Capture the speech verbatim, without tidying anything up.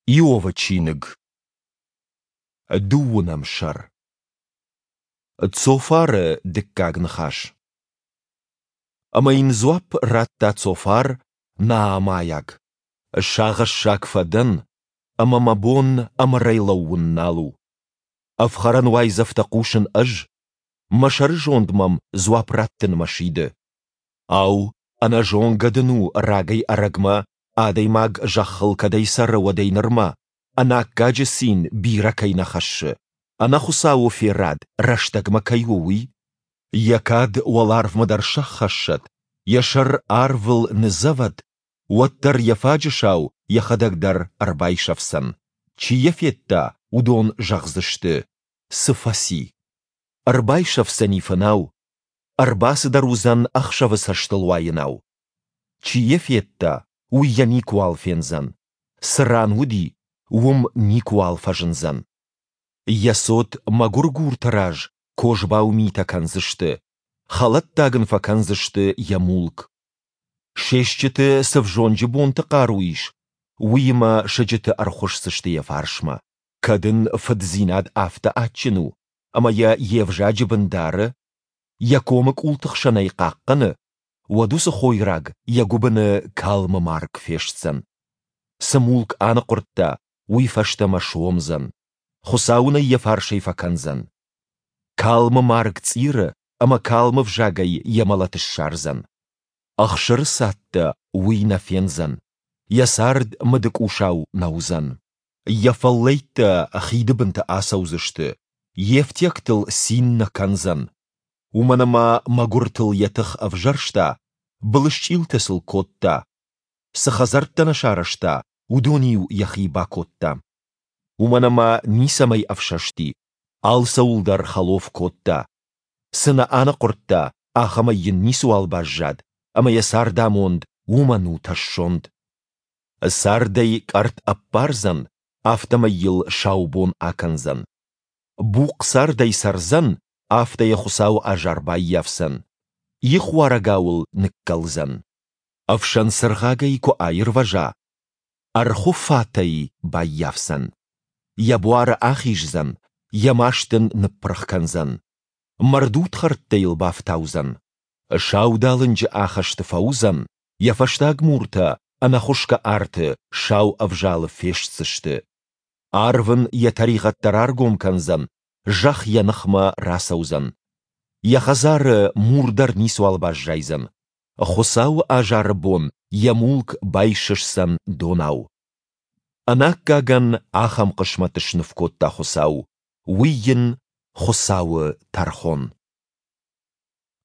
Иовы чиныг, дыууынӕм сӕр. Цофары дыккаг ныхас. Ӕмӕ йын дзуапп радта Цофар, наамӕйаг: Сагъӕссаг фӕдӕн, ӕмӕ мӕ бон ӕмырӕй лӕууын нал у. Ӕфхӕрӕн уайдзӕфтӕ хъусын ӕз, мӕ сӕрызонд мӕм дзуапп раттынмӕ сиды. Ау, ӕнӕзонгӕ дын у рагӕй-ӕрӕгмӕ, адӕймаг зӕххыл кӕдӕй цӕры, уӕдӕй нырмӕ, ӕнаккаджы цин бирӕ кӕй нӕ хӕссы, ӕнӕхуыцауы ферад рӕстӕгмӕ кӕй у, уый? Йӕ кад уӕларвмӕ дӕр сӕххӕссӕд, йӕ сӕр арвыл ныдзӕвӕд, уӕддӕр йӕ фаджысау йӕхӕдӕг дӕр ӕрбайсӕфдзӕн, чи йӕ федта, уыдон зӕгъдзысты: Цы фӕци? Ӕрбайсӕфдзӕни фынау, ӕрбацыдӕр уыдзӕн ӕхсӕвы цӕстылуайынау. Чи йӕ федта, уый йӕ никуал фендзӕн, цы ран уыди, уым никуал фӕзындзӕн. Йӕ цот мӕгуыргурты раз козбау митӕ кӕндзысты, хӕлӕттаг ын фӕкӕндзысты йӕ мулк. Се стджыты цы взонджы бонты хъару ис, уыимӕ сыджыты ӕрхуысдзысты йӕ фарсмӕ. Кӕд ын фыддзинад афтӕ адджын у, ӕмӕ йӕ йе взаджы бын дары, йӕ комы къулты хсӕн ӕй хъахъхъӕны, уӕд уыцы хойраг йӕ гуыбыны калмы марг фестдзӕн. Цы мулк аныхъуырдта, уый фӕстӕмӕ суомдзӕн. Хуыцау ын ӕй йӕ фарсӕй фӕкӕндзӕн. Калмы марг цъиры ӕмӕ калмы взагӕй йӕ мӕлӕт ссардзӕн. Ӕхсыры цадтӕ уый нӕ фендзӕн, йӕ цард мыдыкъусау нӕ уыдзӕн. Йӕ фӕллӕйттӕ хиды бынты ацӕудзысты, йе фтиӕгтыл цин нӕ кӕндзӕн. Уымӕн ӕмӕ мӕгуыртыл йӕ тых ӕвзӕрста, былысчъилтӕ сыл кодта. Цы хӕдзӕрттӕ нӕ сарӕзта, уыдон-иу йӕхи бакодта. Уымӕн ӕмӕ ницӕмӕй ӕфсӕсти, алцӕуыл дӕр хӕлоф кодта. Цы нӕ аныхъуырдта, ахӕмӕй йын ницыуал баззад, ӕмӕ йӕ цардамонд уымӕн у тӕссонд. Цардӕй къӕртт ӕппардзӕн, афтӕмӕй йыл сау бон акӕндзӕн. Бухъ цардӕй цӕрдзӕн, афтӕ йӕ Хуыцауы азар баййафдзӕн. Ихуарӕгау ыл ныккӕлдзӕн. Ӕфсӕн цыргъагӕй куы аирвӕза, ӕрхуы фат ӕй баййафдзӕн. Йӕ буары ахиздзӕн, йӕ маст ын ныппырх кӕндзӕн. Мӕрдудхӕрттӕ йыл бафтаудзӕн. Саудалынджы ахӕсты фӕуыдзӕн, йӕ фӕстаг муртӕ ӕнӕхуысгӕ арты сау ӕвзалы фестдзысты. Арв ын йӕ тӕригъӕдтӕ раргом кӕндзӕн, зӕхх йӕ ныхмӕ рацӕудзӕн. Йӕ хӕдзары мур дӕр ницуал баззайдзӕн. Хуыцауы азары бон йӕ мулк байсысдзӕн донау. Ӕнаккагӕн ахӕм хъысмӕт сныв кодта Хуыцау, уый йын Хуыцауы тӕрхон.